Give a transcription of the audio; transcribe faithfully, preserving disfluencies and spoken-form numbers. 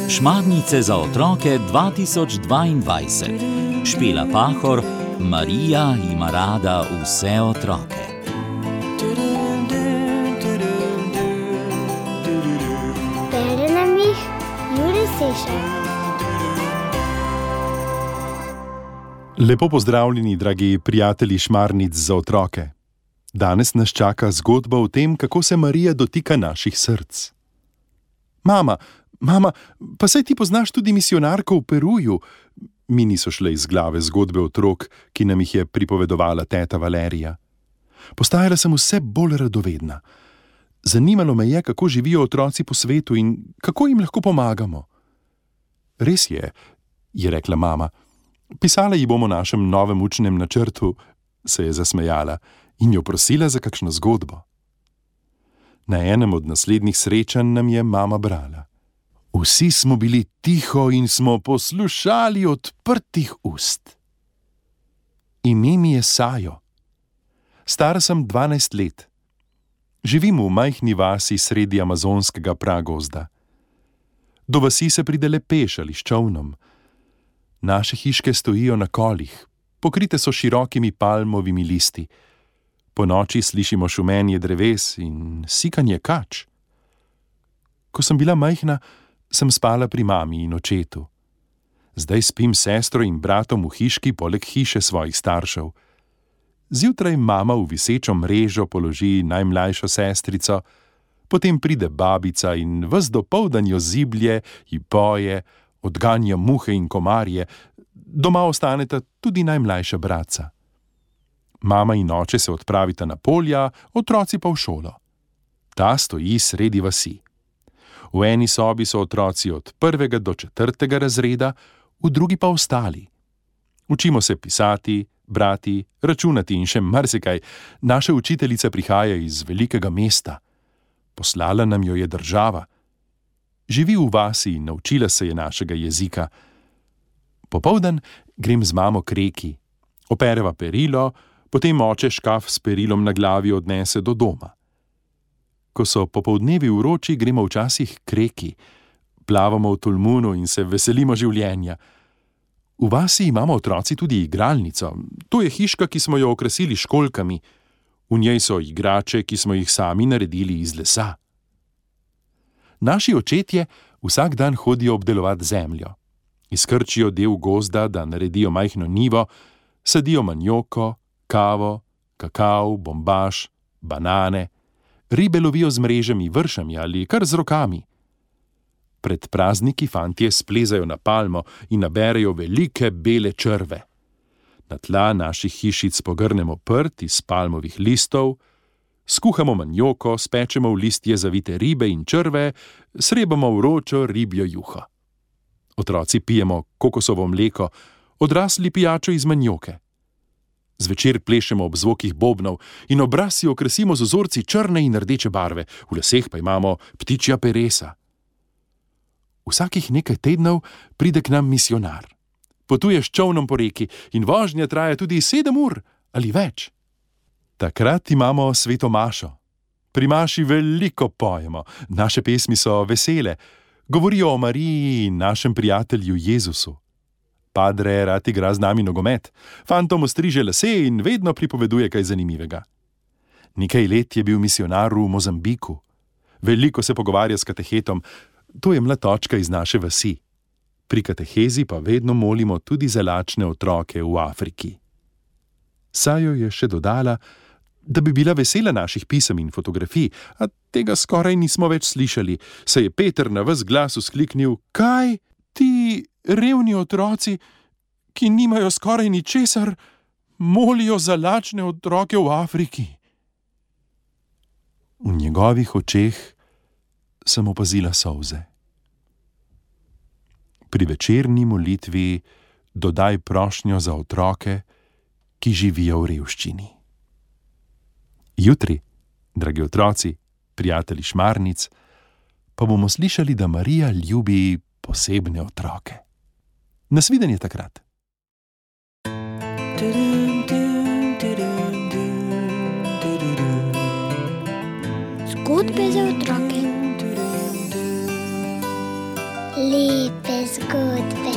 Šmarnice za otroke dva tisoč dvaindvajset. Špela Pahor, Marija ima rada vse otroke. Bere nam jih Jure Sešar. Lepo pozdravljeni, dragi prijatelji Šmarnic za otroke. Danes nas čaka zgodba o tem, kako se Marija dotika naših src. Mama, mama, pa saj ti poznaš tudi misijonarko v Peruju. Mi niso šle iz glave zgodbe otrok, ki nam jih je pripovedovala teta Valerija. Postajala sem vse bolj radovedna. Zanimalo me je, kako živijo otroci po svetu in kako jim lahko pomagamo. Res je, je rekla mama. Pisala ji bom o našem novem učnem načrtu, se je zasmejala in jo prosila za kakšno zgodbo. Na enem od naslednjih srečanj nam je mama brala. Vsi smo bili tiho in smo poslušali odprtih ust. Ime mi je Sajo. Stara sem dvanajst let. Živim v majhni vasi sredi amazonskega pragozda. Do vasi se pride le peš ali s čolnom. Naše hiške stojijo na kolih, pokrite so širokimi palmovimi listi. Po noči slišimo šumenje dreves in sikanje kač. Ko sem bila majhna, sem spala pri mami in očetu. Zdaj spim s sestro in bratom v hiški poleg hiše svojih staršev. Zjutraj mama v visečo mrežo položi najmlajšo sestrico, potem pride babica in ves dopoldan jo ziblje, ji poje, odganja muhe in komarje, doma ostaneta tudi najmlajša bratca. Mama in oče se odpravita na polja, otroci pa v šolo. Ta stoji sredi vasi. V eni sobi so otroci od prvega do četrtega razreda, v drugi pa ostali. Učimo se pisati, brati, računati in še marsikaj. Naša učiteljica prihaja iz velikega mesta. Poslala nam jo je država. Živi v vasi in naučila se je našega jezika. Popoldan grem z mamo k reki. Opereva perilo, potem oče škaf s perilom na glavi odnese do doma. Ko so popoldnevi vroči, gremo včasih k reki. Plavamo v tolmunu in se veselimo življenja. V vasi imamo otroci tudi igralnico. To je hiška, ki smo jo okrasili s školjkami. V njej so igrače, ki smo jih sami naredili iz lesa. Naši očetje vsak dan hodijo obdelovati zemljo. Izkrčijo del gozda, da naredijo majhno njivo, sadijo manjoko, kavo, kakav, bombaž, banane, ribe lovijo z mrežami, vršami ali kar z rokami. Pred prazniki fantje splezajo na palmo in naberejo velike bele črve. Na tla naših hišic pogrnemo prt iz palmovih listov, skuhamo manjoko, spečemo v listje zavite ribe in črve, srebamo vročo ribjo juho. Otroci pijemo kokosovo mleko, odrasli pijačo iz manjoke. Zvečer plešemo ob zvokih bobnov in obraz si okrasimo z vzorci črne in rdeče barve, v laseh pa imamo ptičja peresa. Vsakih nekaj tednov pride k nam misijonar. Potuje s čolnom po reki in vožnja traja tudi sedem ur ali več. Takrat imamo sveto mašo. Pri maši veliko pojemo, naše pesmi so vesele, govorijo o Mariji in našem prijatelju Jezusu. Padre rad igra z nami nogomet, fantom ostriže lase in vedno pripoveduje kaj zanimivega. Nekaj let je bil misijonar v Mozambiku. Veliko se pogovarja s katehetom, to je mlatočka iz naše vasi. Pri katehezi pa vedno molimo tudi za lačne otroke v Afriki. Sajo je še dodala, da bi bila vesela naših pisem in fotografij, a tega skoraj nismo več slišali, saj je Peter na ves glas vzkliknil: Kaj, ti revni otroci, ki nimajo skoraj ničesar, molijo za lačne otroke v Afriki? V njegovih očeh sem opazila solze. Pri večerni molitvi dodaj prošnjo za otroke, ki živijo v revščini. Jutri, dragi otroci, prijatelji Šmarnic, pa bomo slišali, da Marija ljubi posebne otroke. Nasvidenje takrat. Zgodbe za otroke. zgodbe.